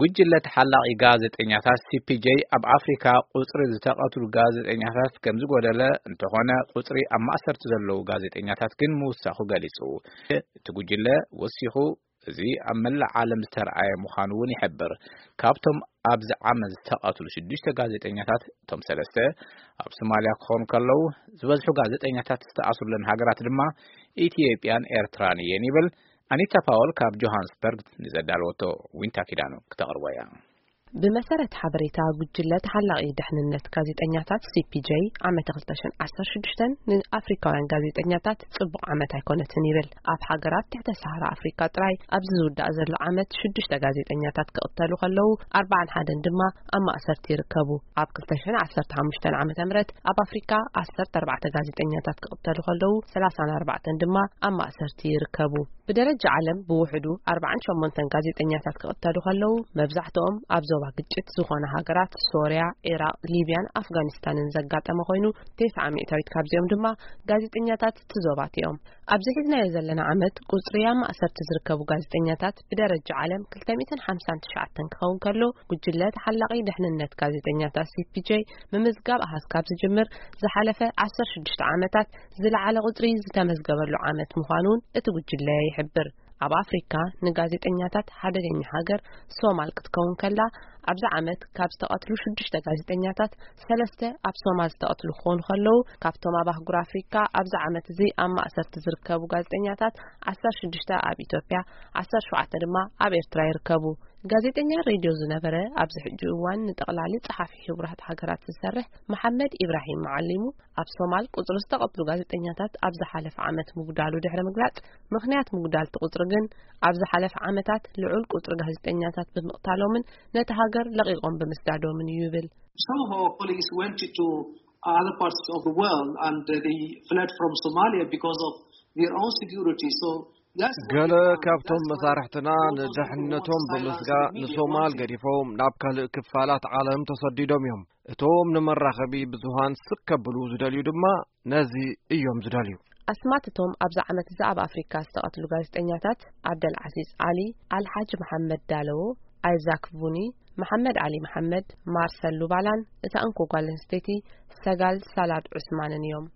ጉጅለ ተሓላቒ ጋዜጠኛታት C P J ኣብ ኣፍሪካ ቁፅሪ ዝተቐትሉ ጋዜጠኛታት ከም ዝጎደለ፣ እንተኾነ ቁፅሪ ኣብ ማእሰርቲ ዘለዉ ጋዜጠኛታት ግን ምውሳኹ ገሊፁ። እቲ ጉጅለ ወሲኹ፣ እዚ ኣብ መላእ ዓለም ዝተረኣየ ምዃኑ እውን ይሕብር። ካብቶም ኣብዚ ዓመት ዝተቐትሉ ሽዱሽተ ጋዜጠኛታት፣ እቶም ሰለስተ ኣብ ሶማልያ ክኾኑ ከለዉ፣ ዝበዝሑ ጋዜጠኛታት ዝተኣስሩለን ሃገራት ድማ ኢትዮጵያን ኤርትራን እየን ይብል። ኣኒታ ፓወል ካብ ጆሃንስበርግ ንዘዳለወቶ ዊንታ ኪዳኑ ክተቕርቦ እያ። ብመሰረት ሓበሬታ ጉጅለ ተሓላቒ ደሕንነት ጋዜጠኛታት C P J፣ ዓመት ክልተ ሽሕን ዓሰርተ ሽዱሽተን ንኣፍሪካውያን ጋዜጠኛታት ጽቡቕ ዓመት ኣይኮነትን ይብል። ኣብ ሃገራት ትሕተ ሰሃራ ኣፍሪካ ጥራይ ኣብዚ ዝውዳእ ዘሎ ዓመት ሽዱሽተ ጋዜጠኛታት ክቕተሉ ከለዉ፣ ኣርባዓን ሓደን ድማ ኣብ ማእሰርቲ ይርከቡ። ኣብ ክልተ ሽሕን ዓሰርተ ሓሙሽተን ዓመተ ምህረት ኣብ ኣፍሪካ ዓሰርተ ኣርባዕተ ጋዜጠኛታት ክቕተሉ ከለዉ፣ ሰላሳን ኣርባዕተን ድማ ኣብ ማእሰርቲ ይርከቡ። ብደረጃ ዓለም ብውሕዱ ኣርባዓን ሸሞንተን ጋዜጠኛታት ክቕተሉ ከለዉ፣ መብዛሕትኦም ኣብ ዞባ ግጭት ዝኾነ ሃገራት ሶርያ፣ ዒራቕ፣ ሊብያን ኣፍጋኒስታንን ዘጋጠመ ኮይኑ፣ ተስዓ ሚእታዊት ካብዚኦም ድማ ጋዜጠኛታት እቲ ዞባት እዮም። ኣብዚ ሒዝናዮ ዘለና ዓመት ቁጽሪ ኣብ ማእሰርቲ ዝርከቡ ጋዜጠኛታት ብደረጃ ዓለም ክልተ ሚእትን ሓምሳን ትሽዓተን ክኸውን ከሎ፣ ጉጅለ ተሓላቒ ደሕንነት ጋዜጠኛታት C P J ምምዝጋብ ኣሃዝ ካብ ዝጅምር ዝሓለፈ ዓሰርተ ሽዱሽተ ዓመታት ዝለዓለ ቁጽሪ ዝተመዝገበሉ ዓመት ምዃኑን እቲ ጉጅለ ይሕብር። ኣብ ኣፍሪካ ንጋዜጠኛታት ሓደገኛ ሃገር ሶማል ክትከውን ከላ፣ ኣብዚ ዓመት ካብ ዝተቐትሉ ሽዱሽተ ጋዜጠኛታት ሰለስተ ኣብ ሶማል ዝተቐትሉ ክኾኑ ከለዉ፣ ካብቶም ኣብ ኣህጉር ኣፍሪካ ኣብዚ ዓመት እዚ ኣብ ማእሰርቲ ዝርከቡ ጋዜጠኛታት ዓሰርተ ሽዱሽተ ኣብ ኢትዮጵያ፣ ዓሰርተ ሸውዓተ ድማ ኣብ ኤርትራ ይርከቡ። ጋዜጠኛ ሬድዮ ዝነበረ፣ ኣብዚ ሕጂ እዋን ንጠቕላሊ ጸሓፊ ሕቡራት ሃገራት ዝሰርሕ መሓመድ ኢብራሂም መዓሊሙ፣ ኣብ ሶማል ቁጽሪ ዝተቐትሉ ጋዜጠኛታት ኣብ ዝሓለፈ ዓመት ምጉዳሉ ድሕሪ ምግላጽ፣ ምኽንያት ምጉዳል እቲ ቁጽሪ ግን ኣብ ዝሓለፈ ዓመታት ልዑል ቁጽሪ ጋዜጠኛታት ብምቕታሎምን ነቲ ሃገር ለቒቖም ብምስዳዶምን እዩ ይብል። Some of our colleagues went to other parts of the world and, uh, they fled from Somalia because of their own security. So that's what ገለ we have. ካብቶም That's why መሳርሕትና ንደሕንነቶም ብምስጋእ ንሶማል ገዲፎም ናብ ካልእ ክፋላት ዓለም ተሰዲዶም እዮም። እቶም ንመራኸቢ ብዙሃን ስቅ ከብሉ ዝደልዩ ድማ ነዚ እዮም ዝደልዩ። ኣስማት እቶም ኣብዚ ዓመት እዚ ኣብ ኣፍሪካ ዝተቐትሉ ጋዜጠኛታት፣ ዓብደል ዓዚዝ ዓሊ፣ ኣልሓጅ መሓመድ ዳለዎ፣ ኣይዛክ ቡኒ፣ መሓመድ ዓሊ መሓመድ፣ ማርሰል ሉባላን እታ እንኮ ጓል ኣንስተይቲ ሰጋል ሳላድ ዑስማንን እዮም።